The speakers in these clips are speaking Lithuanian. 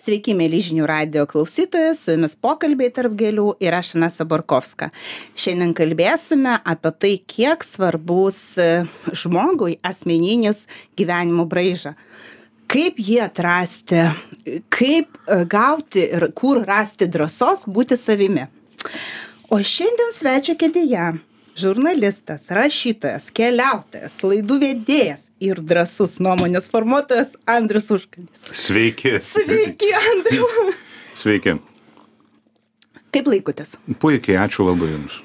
Sveiki, mėly žinių radio klausytojai, su jumis pokalbiai tarp gėlių ir aš Inesa Borkovska. Šiandien kalbėsime apie tai, kiek svarbus žmogui asmeninis gyvenimo braižas. Kaip jį atrasti, kaip gauti ir kur rasti drąsos būti savimi. O šiandien svečio kėdėje žurnalistas, rašytojas, keliautojas, laidų vedėjas ir drąsus nuomonės formuotojas Andrius Užkalnis. Sveiki. Sveiki, Andriu. Sveiki. Kaip laikotės? Puikiai, ačiū labai Jums.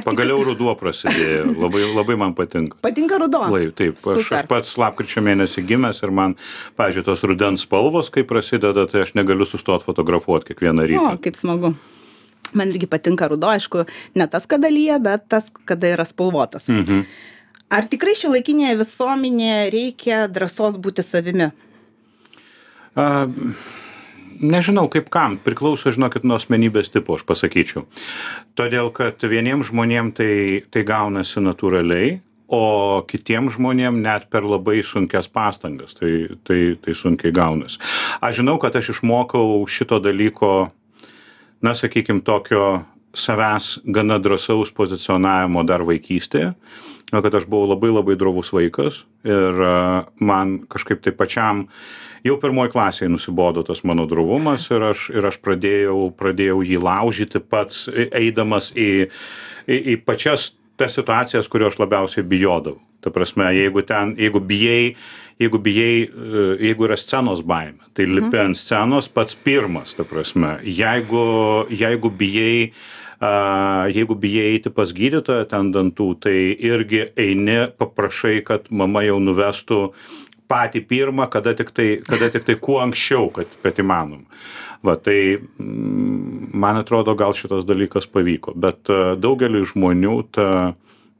Pagaliau ruduo prasidėjo, labai man patinka. Patinka ruduo? Taip, aš pats lapkričio mėnesį gimęs ir man, pavyzdžiui, tos rudens spalvos, kai prasideda, tai aš negaliu sustoti fotografuoti kiekvieną rytą. O, kaip smagu. Man irgi patinka ruduo, aišku, ne tas, kada lyja, bet tas, kada yra spalvotas. Mhm. Ar tikrai šiuolaikinėje visuomenėje reikia drąsos būti savimi? Nežinau, kaip kam. Priklauso, žinokit, nuo asmenybės tipo, aš pasakyčiau. Todėl, kad vieniems žmonėm tai gaunasi natūraliai, o kitiems žmonėm net per labai sunkias pastangas. Tai sunkiai gaunasi. Aš žinau, kad aš išmokau šito dalyko, na, sakykim, tokio savęs gana drąsaus pozicionavimo dar vaikystėje, kad aš buvau labai drovus vaikas ir man kažkaip tai pačiam jau pirmoj klasėje nusibodo tas mano drovumas ir aš pradėjau jį laužyti pats, eidamas į pačias tas situacijas, kurio aš labiausiai bijodavau. Ta prasme, jeigu yra scenos baimė, tai lipi ant scenos pats pirmas, ta prasme. Jeigu bijai eiti pas gydytoją ten dantų, tai irgi eini, paprašai, kad mama jau nuvestų patį pirmą, kada tik tai kuo anksčiau, kad įmanom. Va, tai man atrodo, gal šitas dalykas pavyko, bet daugeliui žmonių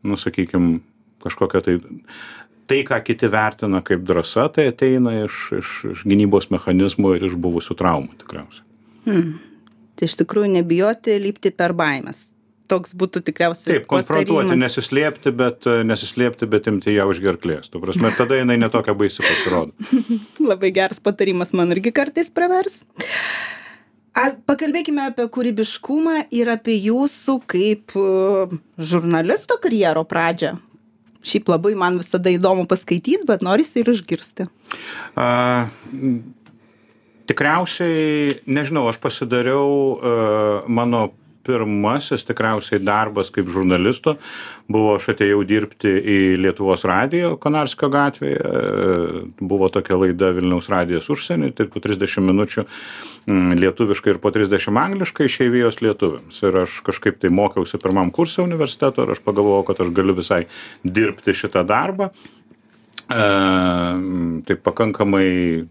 nu, sakykim, kažkokia tai, ką kiti vertina kaip drąsa, tai ateina iš gynybos mechanizmų ir iš buvusių traumų tikriausiai. Tai iš tikrųjų nebijoti lipti per baimės. Toks būtų tikriausiai taip, konfrontuoti, nesislėpti, bet imti ją už gerklės. Tu prasme, tada jinai netokia baisi pasirodo. Labai geras patarimas, man irgi kartais pravers. Pakalbėkime apie kūrybiškumą ir apie jūsų kaip žurnalisto karjero pradžią. Šiaip labai man visada įdomu paskaityti, bet norisi ir išgirsti. Tikriausiai, nežinau, aš pasidariau mano pirmasis tikriausiai darbas kaip žurnalisto. Aš atėjau dirbti į Lietuvos radijo Konarskio gatvėje. Buvo tokia laida Vilniaus radijas užsienį, tai po 30 minučių lietuviškai ir po 30 angliškai išeivijos lietuviams. Ir aš kažkaip tai mokiausi pirmam kursui universiteto ir aš pagalvojau, kad aš galiu visai dirbti šitą darbą. Tai pakankamai,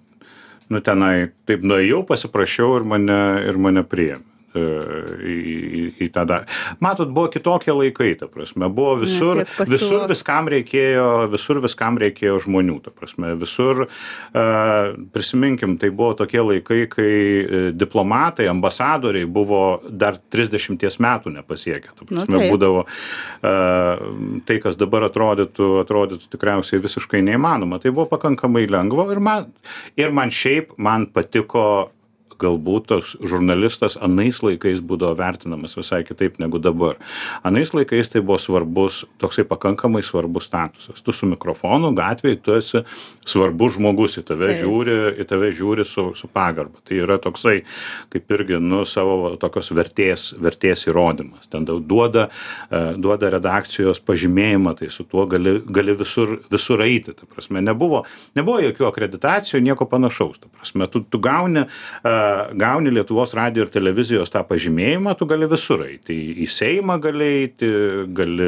tenai taip nuėjau, pasiprašiau ir mane priėmė. Į tą dar. Matot, buvo kitokie laikai, ta prasme, buvo visur viskam reikėjo žmonių, ta prasme, visur, prisiminkim, tai buvo tokie laikai, kai diplomatai, ambasadoriai buvo dar 30 metų nepasiekę, ta prasme, būdavo tai, kas dabar atrodytų tikriausiai visiškai neįmanoma, tai buvo pakankamai lengva ir man patiko galbūt tas žurnalistas anais laikais būdavo vertinamas visai kitaip negu dabar. Anais laikais tai buvo toksai pakankamai svarbus statusas. Tu su mikrofonu gatvėje, tu esi svarbus žmogus, į tave žiūri su pagarba. Tai yra toksai, kaip irgi, savo tokios vertės įrodymas. Ten duoda redakcijos pažymėjimą, tai su tuo gali visur eiti. Ta prasme, nebuvo jokių akreditacijų, nieko panašaus. Ta prasme, tu gauni Lietuvos radijo ir televizijos tą pažymėjimą, tu gali visur eiti. Į Seimą gali eiti, gali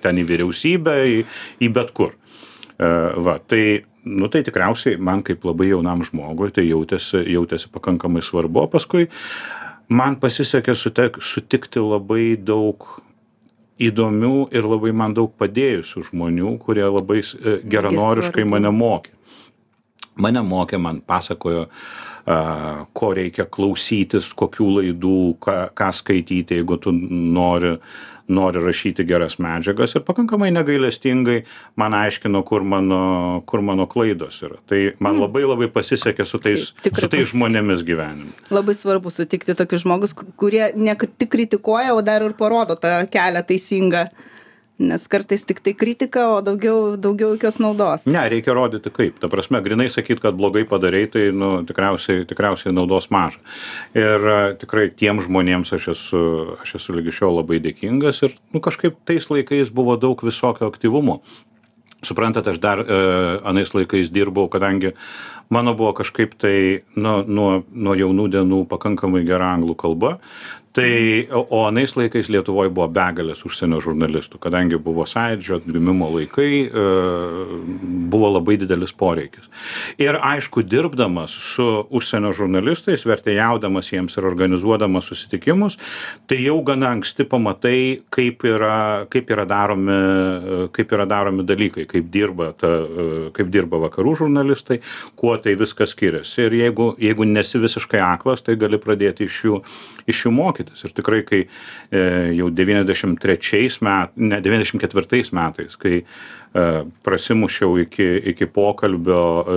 ten į vyriausybę, į bet kur. Tai tikriausiai man kaip labai jaunam žmogui tai jautėsi pakankamai svarbu. Paskui man pasisekė sutikti labai daug įdomių ir labai man daug padėjusių žmonių, kurie labai geranoriškai mane mokė. Man pasakojo ko reikia klausytis, kokių laidų, ką skaityti, jeigu tu nori rašyti geras medžiagas, ir pakankamai negailestingai man aiškino, kur mano klaidos yra. Tai man labai pasisekė su tais žmonėmis gyvenime. Labai svarbu sutikti tokius žmogus, kurie ne tik kritikuoja, o dar ir parodo tą kelią teisingą. Nes kartais tik tai kritika, o daugiau jokios naudos. Ne, reikia rodyti kaip. Ta prasme, grinai sakyt, kad blogai padarei, tai tikriausiai naudos maža. Ir tikrai tiem žmonėms aš esu lygi šiol labai dėkingas, ir kažkaip tais laikais buvo daug visokio aktyvumo. Suprantat, aš dar anais laikais dirbau, kadangi mano buvo kažkaip tai nuo jaunų dienų pakankamai gera anglų kalba. O anais laikais Lietuvoje buvo begalės užsienio žurnalistų, kadangi buvo Sąjūdžio atgimimo laikai, buvo labai didelis poreikis. Ir aišku, dirbdamas su užsienio žurnalistais, vertėjaudamas jiems ir organizuodamas susitikimus, tai jau gana anksti pamatai, kaip yra daromi dalykai, kaip dirba vakarų žurnalistai, kuo tai viskas skiriasi. Ir jeigu nesi visiškai aklas, tai gali pradėti iš jų mokytis. Ir tikrai, kai jau 94 metais, kai prasimušiau iki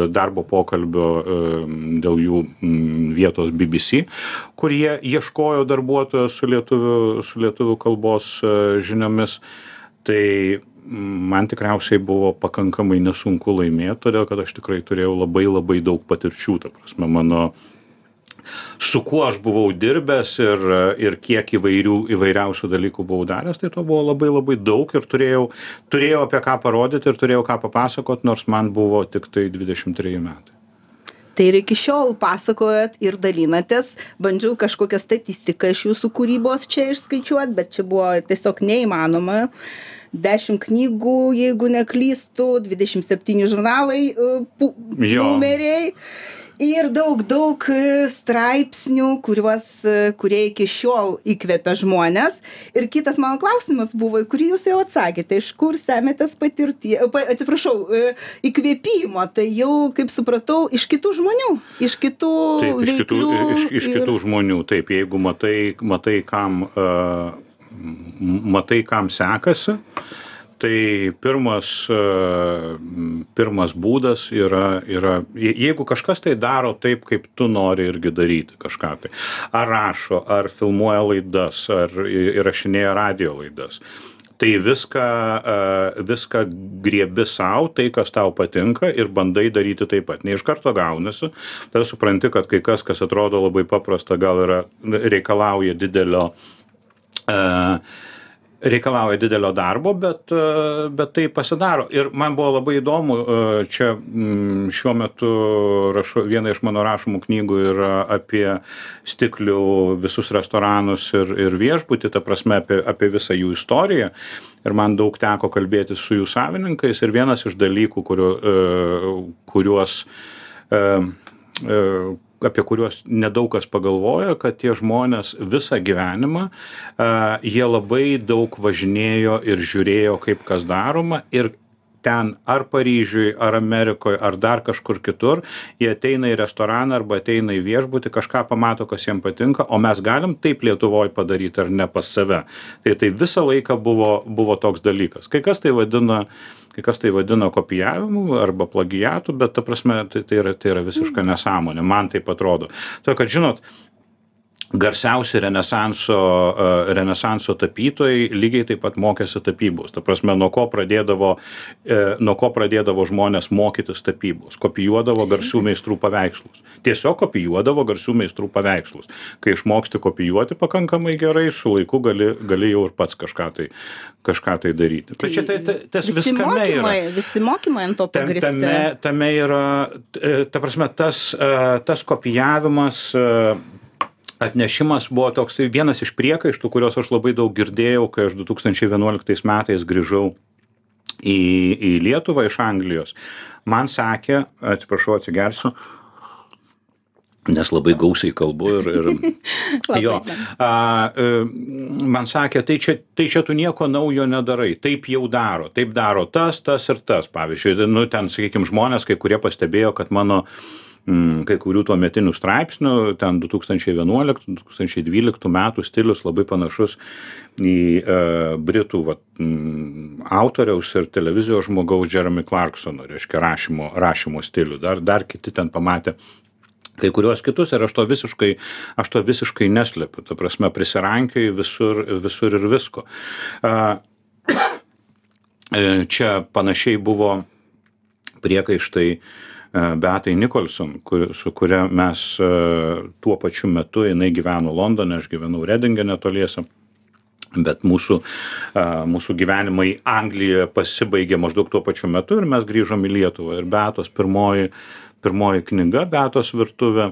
darbo pokalbio dėl jų vietos BBC, kur jie ieškojo darbuotojo su lietuvių kalbos žiniomis, tai man tikriausiai buvo pakankamai nesunku laimėti, todėl kad aš tikrai turėjau labai daug patirčių, ta prasme, su kuo aš buvau dirbęs ir kiek įvairiausių dalykų buvau daręs, tai to buvo labai daug, ir turėjau apie ką parodyti ir turėjau ką papasakot, nors man buvo tik tai 23 metai. Tai ir iki šiol pasakojat ir dalinatės, bandžiau kažkokią statistiką iš jūsų kūrybos čia išskaičiuoti, bet čia buvo tiesiog neįmanoma. 10 knygų, jeigu neklystu, 27 žurnalai, numeriai. Ir daug straipsnių, kurie iki šiol įkvepia žmonės. Ir kitas mano klausimas buvo, į kurį jūs jau atsakėte, iš kur semiatės įkvėpimo. Tai jau, kaip supratau, iš kitų žmonių, iš kitų veiklų. Iš kitų žmonių, taip, jeigu matai, kam sekasi. Tai pirmas būdas yra, jeigu kažkas tai daro taip, kaip tu nori irgi daryti kažką tai. Ar rašo, ar filmuoja laidas, ar įrašinėja radio laidas. Tai viską griebi savo, tai kas tau patinka, ir bandai daryti taip pat. Ne iš karto gaunasi, tada supranti, kad kai kas atrodo labai paprasta, gal reikalauja didelio darbo, bet tai pasidaro. Ir man buvo labai įdomu, čia šiuo metu viena iš mano rašomų knygų yra apie stiklių visus restoranus ir viešbutį, ta prasme apie visą jų istoriją. Ir man daug teko kalbėti su jų savininkais, ir vienas iš dalykų, apie kuriuos nedaug kas pagalvoja, kad tie žmonės visą gyvenimą, jie labai daug važinėjo ir žiūrėjo, kaip kas daroma, ir ten ar Paryžiui, ar Amerikoje, ar dar kažkur kitur, jie ateina į restoraną arba ateina į viešbutį, kažką pamato, kas jiems patinka, o mes galim taip Lietuvoje padaryti ar ne pas save. Tai visą laiką buvo toks dalykas. Kai kas tai vadina kopijavimu arba plagiatu, bet ta prasme tai yra visiška nesąmonė, man taip atrodo. Tai, kad žinot, garsiausi renesanso tapytojai lygiai taip pat mokėsi tapybos. Ta prasme, nuo ko pradėdavo žmonės mokytis tapybos. Kopijuodavo garsių meistrų paveikslus. Tiesiog kopijuodavo garsių meistrų paveikslus. Kai išmoksti kopijuoti pakankamai gerai, su laiku gali jau ir pats kažką tai daryti. Tai čia tas viskame yra. Visi mokymai ant to pagristi. Tame yra, ta prasme, tas kopijavimas, atnešimas buvo toks vienas iš priekaištų, kuriuos aš labai daug girdėjau, kai aš 2011 metais grįžau į Lietuvą iš Anglijos. Man sakė, atsiprašau, atsigersiu, nes labai gausiai kalbu ir man sakė, tai čia tu nieko naujo nedarai, taip jau daro, taip daro tas ir tas. Pavyzdžiui, ten, sakykime, žmonės, kai kurie pastebėjo, kad mano kai kurių tuometinių straipsnių, ten 2011-2012 metų stilius labai panašus į britų autoriaus ir televizijos žmogaus Jeremy Clarksono, reiškia rašymo stilių. Dar kiti ten pamatė kai kuriuos kitus ir aš to visiškai neslepiu. Ta prasme, prisirankioju visur ir visko. Čia panašiai buvo priekaištai Beatai Nicholson, su kuria mes tuo pačiu metu, jinai gyveno Londone, aš gyvenau Redinge netoliese, bet mūsų gyvenimai Anglijoje pasibaigė maždaug tuo pačiu metu ir mes grįžom į Lietuvą. Ir Beatos pirmoji knyga, Beatos virtuvė,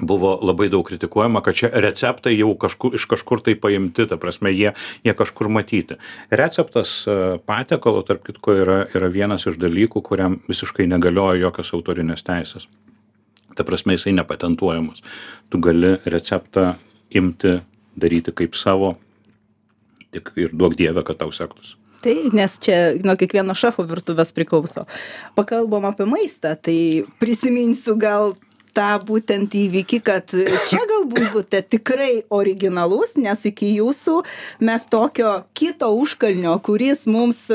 buvo labai daug kritikuojama, kad čia receptai jau iš kažkur tai paimti, ta prasme, jie kažkur matyti. Receptas patiekalo, tarp kitko, yra vienas iš dalykų, kuriam visiškai negalioja jokios autorinės teisės. Ta prasme, jisai nepatentuojamas. Tu gali receptą imti, daryti kaip savo, tik ir duok Dieve, kad tau sektųsi. Tai, nes čia nuo kiekvieno šefo virtuvės priklauso. Pakalbam apie maistą, tai prisiminsiu gal tą būtent įvykį, kad čia galbūt būte tikrai originalus, nes iki jūsų mes tokio kito užkalnio, kuris mums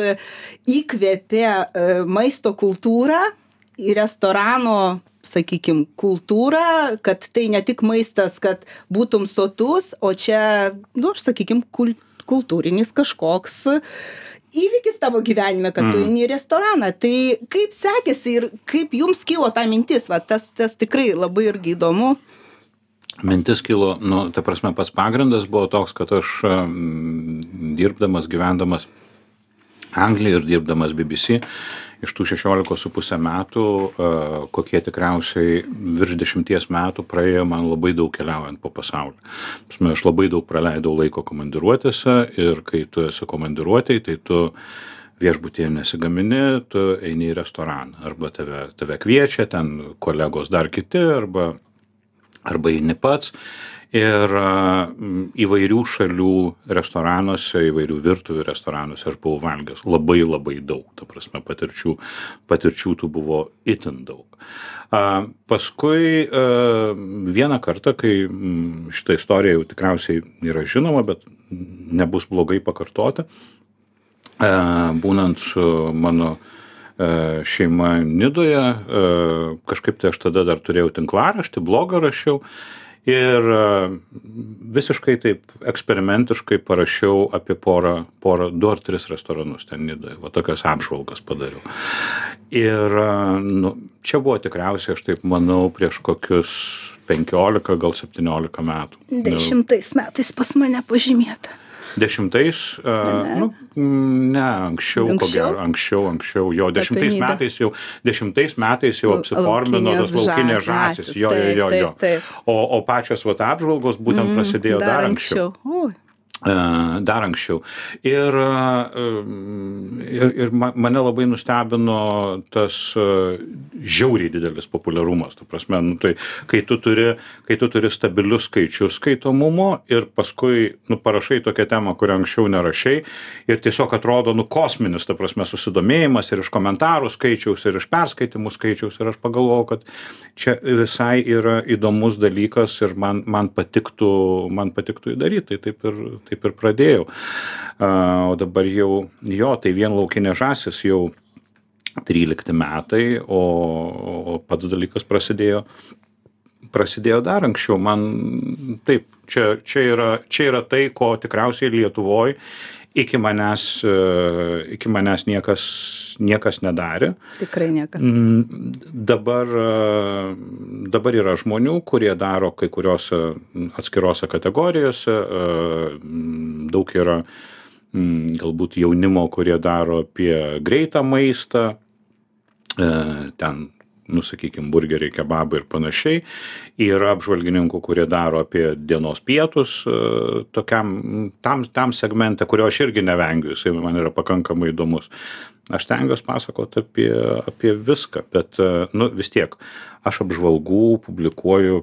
įkvėpė maisto kultūrą į restorano, sakykime, kultūrą, kad tai ne tik maistas, kad būtum sotus, o čia, sakykime, kultūrinis kažkoks įvykis tavo gyvenime, kad tu eini į restoraną. Tai kaip sekėsi ir kaip jums kilo ta mintis? Tas tikrai labai irgi įdomu. Mintis kilo, ta prasme, pats pagrindas buvo toks, kad aš gyvendamas Anglijoje ir dirbdamas BBC, iš tų 16,5 metų, kokie tikriausiai virš 10 metų praėjo man labai daug keliaujant po pasaulį. Aš labai daug praleidau laiko komandiruotėse ir kai tu esi komandiruotėj, tai tu viešbutyje nesigamini, tu eini į restoraną. Arba tave kviečia, ten kolegos dar kiti, arba eini pats. Ir įvairių šalių restoranuose, įvairių virtuvių restoranuose aš buvau valgęs labai labai daug. Ta prasme, patirčių tų buvo itin daug. Paskui vieną kartą, kai šitą istoriją jau tikriausiai yra žinoma, bet nebus blogai pakartoti, būnant su mano šeima Nidoje, kažkaip tai aš tada dar turėjau tinklaraštį, blogą rašiau. Ir visiškai taip eksperimentiškai parašiau apie porą, 2 ar 3 restoranus ten Nidoje. Tokias apžvalgas padariau. Ir čia buvo tikriausiai, aš taip manau, prieš kokius 15, gal 17 metų. 10 metais pas mane pažymėta. 10, ne, anksčiau, ko gero, anksčiau, jo, 10 metais jau apsiformino tos laukinės žąsys, jo. O pačios apžvalgos būtent prasidėjo dar anksčiau. Dar anksčiau. Ir mane labai nustebino tas žiauriai didelis populiarumas. Ta prasme, tai kai tu turi stabilius skaičius skaitomumo ir paskui parašai tokią temą, kurią anksčiau nerašai ir tiesiog atrodo kosminis, ta prasme, susidomėjimas ir iš komentarų skaičiaus, ir iš perskaitimų skaičiaus. Ir aš pagalvojau, kad čia visai yra įdomus dalykas ir man patiktų įdaryti. Tai taip ir pradėjau. O dabar jau, tai vien laukinė žąsis jau 13 metai, o pats dalykas prasidėjo dar anksčiau. Man taip, čia yra tai, ko tikriausiai Lietuvoje iki manęs niekas nedarė. Tikrai niekas. Dabar yra žmonių, kurie daro kai kuriuose atskirose kategorijose. Daug yra galbūt jaunimo, kurie daro apie greitą maistą. Ten, sakykime, burgeriai, kebabai ir panašiai. Yra apžvalgininkų, kurie daro apie dienos pietus tam segmente, kurio aš irgi nevengiu, jisai man yra pakankamai įdomus. Aš stengiuosi pasakoti apie viską, bet vis tiek aš apžvalgų publikuoju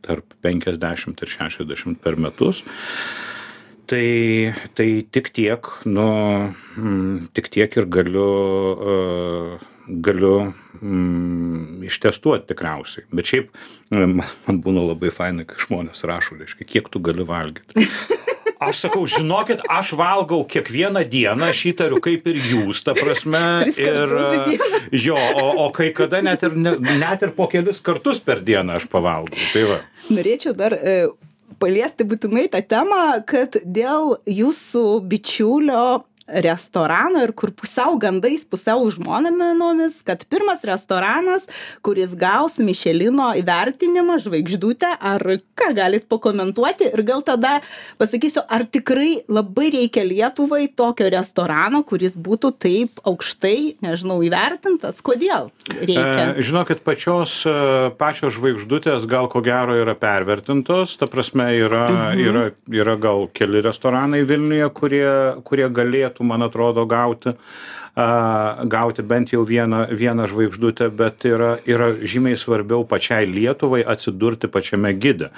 tarp 50 ir 60 per metus. Tai tik tiek ir galiu galiu ištestuoti tikriausiai. Bet šiaip man būna labai fainai, kai žmonės rašo, reiškia, kiek tu gali valgyti. Aš sakau, žinokit, aš valgau kiekvieną dieną, aš įtariu kaip ir jūs, ta prasme. O kai kada net ir po kelis kartus per dieną aš pavalgau. Tai va. Norėčiau dar paliesti būtinai tą temą, kad dėl jūsų bičiulio restorano ir kur pusiau gandais, pusiau žmonėmis, kad pirmas restoranas, kuris gaus Michelino įvertinimą, žvaigždutę, ar ką galit pakomentuoti ir gal tada pasakysiu, ar tikrai labai reikia Lietuvai tokio restorano, kuris būtų taip aukštai, nežinau, įvertintas, kodėl reikia? Žinokit, pačios žvaigždutės gal ko gero yra pervertintos, ta prasme yra gal keli restoranai Vilniuje, kurie galėtų, man atrodo, gauti bent jau vieną žvaigždutę, bet yra žymiai svarbiau pačiai Lietuvai atsidurti pačiame gide.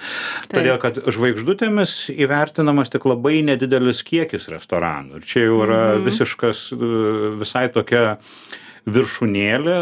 Todėl, kad žvaigždutėmis įvertinamas tik labai nedidelis kiekis restoranų. Ir čia jau yra visai tokia viršūnėlė,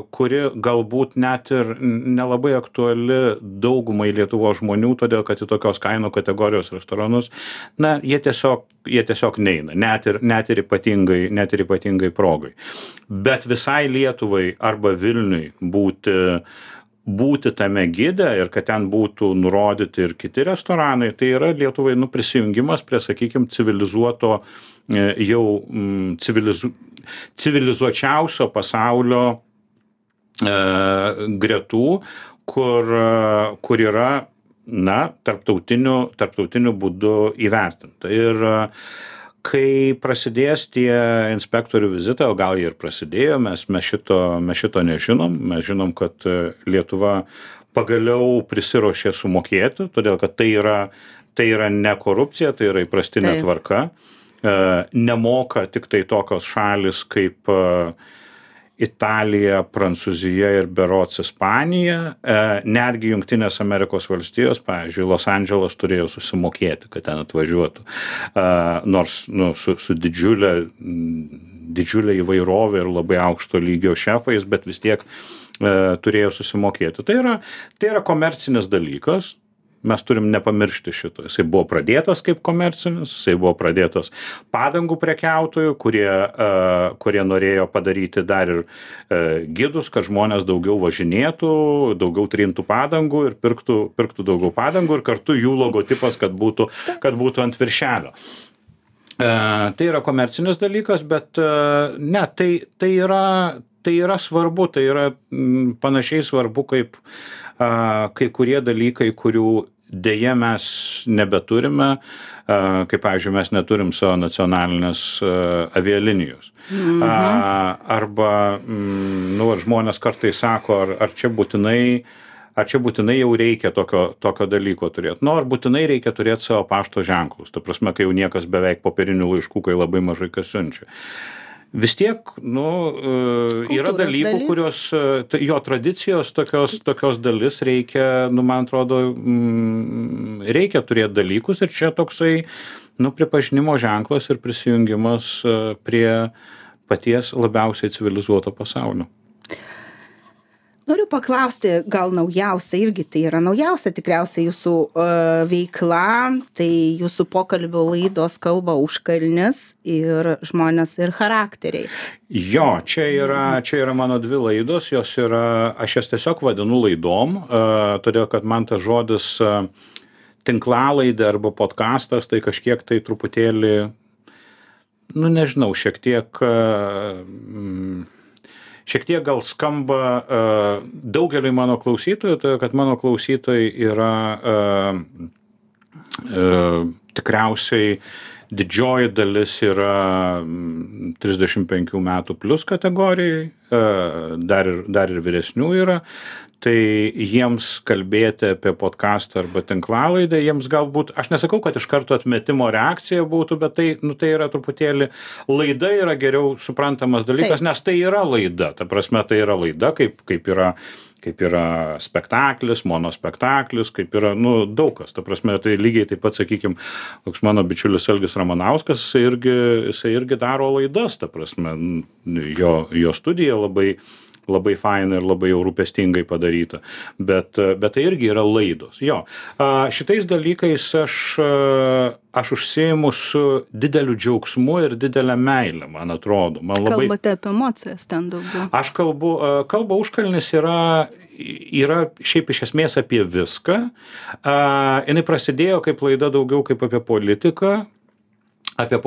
kuri galbūt net ir nelabai aktuali daugumai Lietuvos žmonių, todėl kad į tokios kainų kategorijos restoranus, jie tiesiog neina, net ir ypatingai progai. Bet visai Lietuvai arba Vilniui būti tame gide ir kad ten būtų nurodyti ir kiti restoranai, tai yra Lietuvai prisijungimas prie, sakykime, civilizuoto civilizuočiausio pasaulio gretų, kur yra, tarptautiniu būdu įvertinta. Ir kai prasidės tie inspektorių vizitai, o gal ir prasidėjo, mes šito nežinom. Mes žinom, kad Lietuva pagaliau prisiruošė sumokėti, todėl kad tai yra ne korupcija, tai yra įprastinė tvarka. Nemoka tik tai tokios šalis kaip Italija, Prancūzija ir berods Ispanija. Netgi Jungtinės Amerikos valstijos, pavyzdžiui, Los Andželas turėjo susimokėti, kad ten atvažiuotų. Nors su didžiulė įvairovė ir labai aukšto lygio šefais, bet vis tiek turėjo susimokėti. Tai yra komercinis dalykas. Mes turim nepamiršti šito. Jisai buvo pradėtas kaip komercinis, jisai buvo pradėtas padangų prekiautojų, kurie norėjo padaryti dar ir gidus, kad žmonės daugiau važinėtų, daugiau trintų padangų ir pirktų daugiau padangų ir kartu jų logotipas, kad būtų ant viršelio. Tai yra komercinis dalykas, bet tai yra svarbu, tai yra panašiai svarbu kaip kai kurie dalykai, kurių deja mes nebeturime, kaip, pavyzdžiui, mes neturim savo nacionalinės avialinijos. Arba žmonės kartais sako, ar čia būtinai jau reikia tokio dalyko turėti. Ar būtinai reikia turėti savo pašto ženklus. Ta prasme, kai jau niekas beveik popierinių laiškų, kai labai mažai kas siunčia. Vis tiek, yra dalykų, kurios, jo tradicijos tokios dalis reikia, man atrodo, reikia turėti dalykus ir čia toksai, pripažinimo ženklas ir prisijungimas prie paties labiausiai civilizuoto pasaulio. Noriu paklausti, gal naujausia, irgi tai yra naujausia tikriausiai jūsų veikla, tai jūsų pokalbių laidos kalba užkalnis ir žmonės ir charakteriai. Jo, čia yra mano dvi laidos, jos yra, aš jas tiesiog vadinu laidom, todėl kad man tas žodis tinklalaidė arba podcastas, tai kažkiek tai truputėlį, nežinau, šiek tiek gal skamba daugeliui mano klausytojų, tai kad mano klausytojai yra tikriausiai didžioji dalis yra 35 metų plus kategorijai, dar ir vyresnių yra. tai jiems kalbėti apie podcastą arba tinklalaidę, jiems galbūt, aš nesakau, kad iš karto atmetimo reakcija būtų, bet tai, tai yra truputėlį, laida yra geriau suprantamas dalykas, nes tai yra laida, ta prasme, tai yra laida, kaip yra spektaklis, monospektaklis, kaip yra, daug kas, ta prasme, tai lygiai taip pat, sakykime, toks mano bičiulis Algis Ramanauskas, jisai irgi daro laidas, ta prasme, jo studija labai faina ir labai jau rūpestingai padaryta, bet tai irgi yra laidos. Jo, šitais dalykais aš užsiimu su dideliu džiaugsmu ir didelę meilę, man atrodo. Kalbate apie emocijas ten daugiau. Aš kalba užkalnis yra šiaip iš esmės apie viską. Jinai prasidėjo kaip laida daugiau kaip apie politiką, apie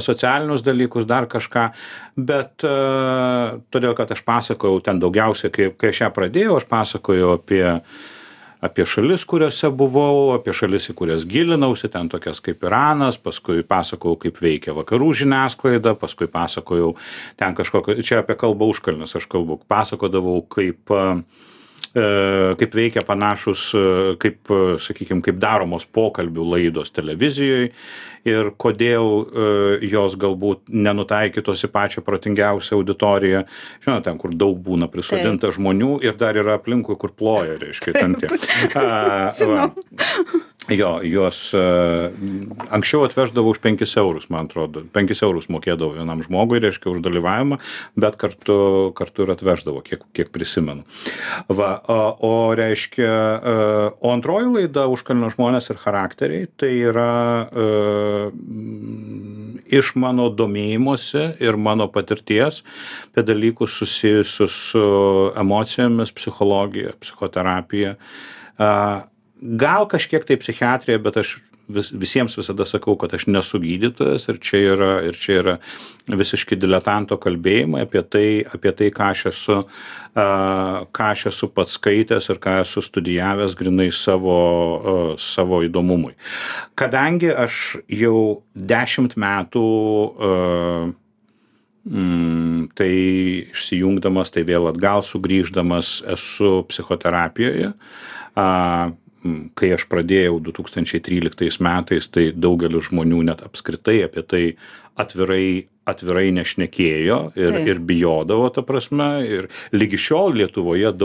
socialinius dalykus, dar kažką, bet todėl, kad aš pasakojau ten daugiausiai, kai aš ją pradėjau, aš pasakojau apie šalis, kuriuose buvau, apie šalis, į kurias gilinausi, ten tokias kaip Iranas, paskui pasakojau, kaip veikia vakarų žiniasklaida, paskui pasakojau ten kažkokio, čia apie kalbą užkalnis aš kalbu, pasakodavau, kaip veikia panašus, sakykime, kaip daromos pokalbių laidos televizijoje ir kodėl jos galbūt nenutaikytos į pačią protingiausią auditoriją. Žinote, ten, kur daug būna prisodinta žmonių ir dar yra aplinkui, kur ploja, reiškia, ten tie. Jo, juos anksčiau atveždavau už 5 eurus, man atrodo. 5 eurus mokėdavau vienam žmogui, reiškia, už dalyvavimą, bet kartu ir atveždavau, kiek prisimenu. O reiškia, o antroji laida Užkalnio žmonės ir charakteriai, tai yra iš mano domėjimosi ir mano patirties apie dalykus susijusius su emocijomis, psichologija, psichoterapija. Gal kažkiek tai psichiatrija, bet aš visiems visada sakau, kad aš nesu gydytojas ir čia yra visiškai diletanto kalbėjimai apie tai, ką aš esu pats skaitęs ir ką esu studijavęs grynai savo įdomumui. Kadangi aš jau 10 metų tai išsijungdamas, tai vėl atgal sugrįždamas esu psichoterapijoje, kai aš pradėjau 2013 metais, tai daugelis žmonių net apskritai apie tai atvirai nešnekėjo ir bijodavo, ta prasme, ir lygi šiol Lietuvoje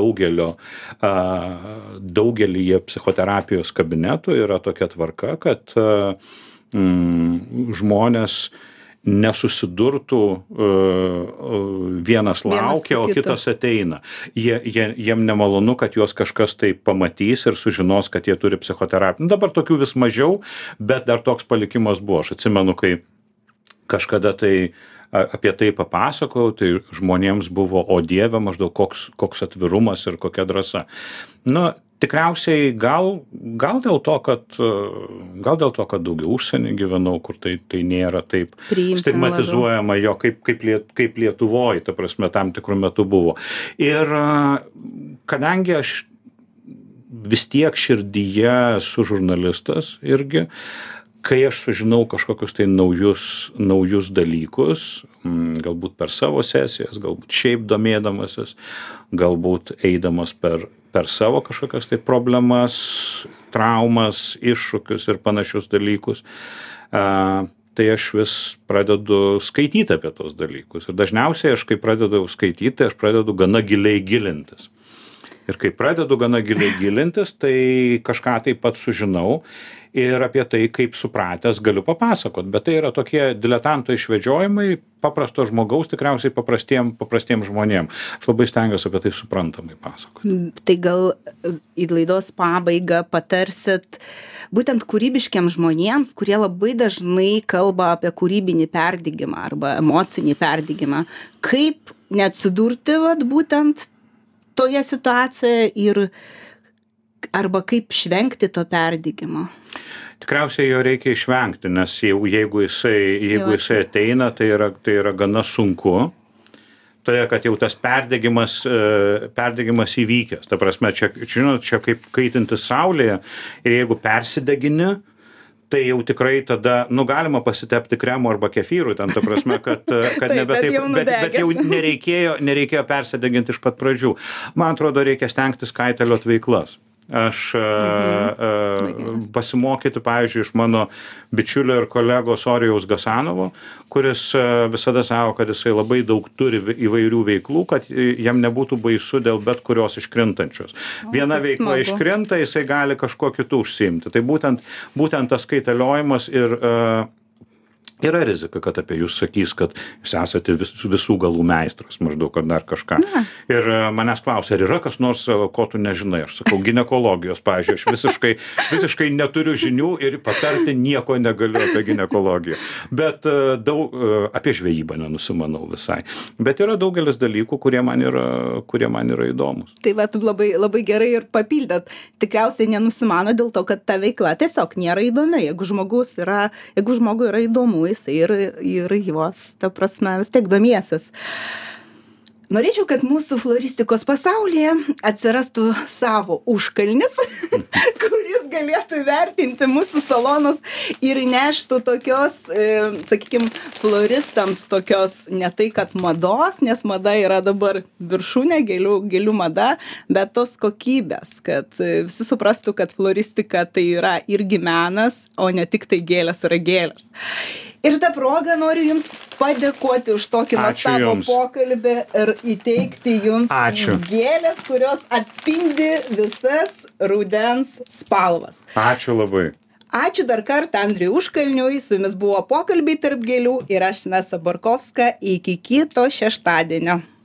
daugelyje psichoterapijos kabinetų yra tokia tvarka, kad žmonės nesusidurtų, vienas laukia, o kitas ateina. Jiem nemalonu, kad juos kažkas tai pamatys ir sužinos, kad jie turi psichoterapiją. Dabar tokių vis mažiau, bet dar toks palikimas buvo. Aš atsimenu, kai kažkada tai apie tai papasakojau, tai žmonėms buvo, o Dieve, maždaug koks atvirumas ir kokia drąsa. Tikriausiai gal dėl to, kad daugiau užsienį gyvenau, kur tai nėra taip stigmatizuojama, jo kaip Lietuvoje, ta prasme, tam tikrų metų buvo. Ir kadangi aš vis tiek širdyje esu žurnalistas irgi, kai aš sužinau kažkokius tai naujus dalykus, galbūt per savo sesijas, galbūt šiaip domėdamasis, galbūt eidamas per savo kažkokias tai problemas, traumas, iššūkius ir panašius dalykus, tai aš vis pradedu skaityti apie tos dalykus. Ir dažniausiai aš, kai pradedu skaityti, aš pradedu gana giliai gilintis. Ir kai pradedu gana giliai gilintis, tai kažką taip pat sužinau ir apie tai, kaip supratęs, galiu papasakot. Bet tai yra tokie diletanto išvedžiojimai paprasto žmogaus, tikriausiai paprastiem žmonėm. Aš labai stengiuosi apie tai suprantamai pasakoti. Tai gal į laidos pabaigą patarsit būtent kūrybiškiams žmonėms, kurie labai dažnai kalba apie kūrybinį perdegimą arba emocinį perdegimą, kaip neatsidurti būtent toje situacijoje arba kaip išvengti to perdegimo? Tikriausiai jo reikia išvengti, nes jeigu jisai ateina, tai yra gana sunku. Todėl, kad jau tas perdegimas įvykęs. Ta prasme, čia kaip kaitinti saulėje ir jeigu persidegini, tai jau tikrai tada, galima pasitepti kremu arba kefyru, ten ta prasme, kad nebe taip, bet jau nereikėjo persideginti iš pat pradžių. Man atrodo, reikia stengtis kaitaliot veiklas. Aš pasimokyti, pavyzdžiui, iš mano bičiulio ir kolegos Orijaus Gasanovo, kuris visada sako, kad jisai labai daug turi įvairių veiklų, kad jam nebūtų baisu dėl bet kurios iškrintančios. Viena veikla iškrinta, jisai gali kažkuo kitu užsiimti. Tai būtent tas kaitaliojimas ir yra rizika, kad apie jūs sakys, kad jūs esate visų galų meistras, maždaug, ar dar kažką. Ir manęs klausia, ar yra kas nors, ko tu nežinai. Aš sakau, ginekologijos, pavyzdžiui, aš visiškai neturiu žinių ir patarti nieko negaliu apie ginekologiją. Bet apie žvejybą nenusimanau visai. Bet yra daugelis dalykų, kurie man yra įdomus. Tai va, labai, labai gerai ir papildėt. Tikriausiai nenusimano dėl to, kad ta veikla tiesiog nėra įdomi. Jeigu žmogui yra įdomu, jisai ir juos, ta prasme, vis tiek domiesis. Norėčiau, kad mūsų floristikos pasaulyje atsirastų savo užkalnis, kuris galėtų vertinti mūsų salonus ir neštų tokios, sakykime, floristams tokios ne tai, kad mados, nes mada yra dabar viršūnė, gėlių mada, bet tos kokybės, kad visi suprastų, kad floristika tai yra irgi menas, o ne tik tai gėlės yra gėlės. Ir tą progą noriu Jums padėkoti už tokį nuostabų pokalbį ir įteikti Jums gėlės, kurios atspindi visas rudens spalvas. Ačiū labai. Ačiū dar kartą Andriui Užkalniui, su Jumis buvo pokalbiai tarp gėlių ir aš Inesa Borkovska. Iki kito šeštadienio.